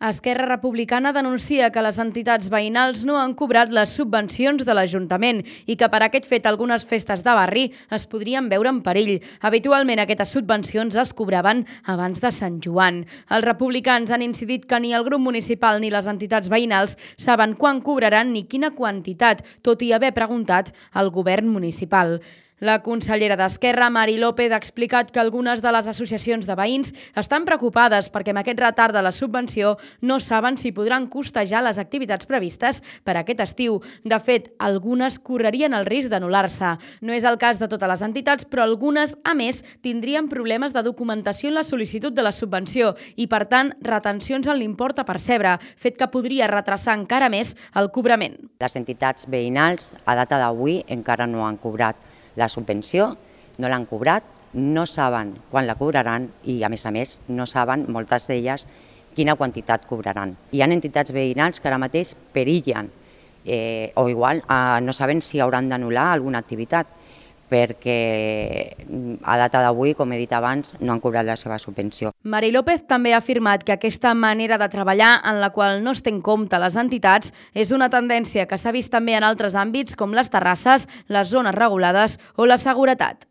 Esquerra Republicana denuncia que les entitats veïnals no han cobrat les subvencions de l'Ajuntament i que per aquest fet algunes festes de barri es podrien veure en perill. Habitualment aquestes subvencions es cobraven abans de Sant Joan. Els republicans han incidit que ni el grup municipal ni les entitats veïnals saben quan cobraran ni quina quantitat, tot i haver preguntat al govern municipal. La consellera d'Esquerra, Mari López, ha explicat que algunes de les associacions de veïns estan preocupades perquè amb aquest retard de la subvenció no saben si podran costejar les activitats previstes per aquest estiu. De fet, algunes correrien el risc d'anul·lar-se. No és el cas de totes les entitats, però algunes, a més, tindrien problemes de documentació en la sol·licitud de la subvenció i, per tant, retencions en l'import a percebre, fet que podria retrasar encara més el cobrament. Les entitats veïnals, a data d'avui, encara no han cobrat la subvenció, no l'han cobrat, no saben quan la cobraran i, a més, no saben, moltes d'elles, quina quantitat cobraran. Hi ha entitats veïnals que ara mateix perillen o igual no saben si hauran d'anul·lar alguna activitat perquè a data d'avui, com he dit abans, no han cobrat la seva subvenció. Mari López també ha afirmat que aquesta manera de treballar en la qual no es té en compte les entitats és una tendència que s'ha vist també en altres àmbits com les terrasses, les zones regulades o la seguretat.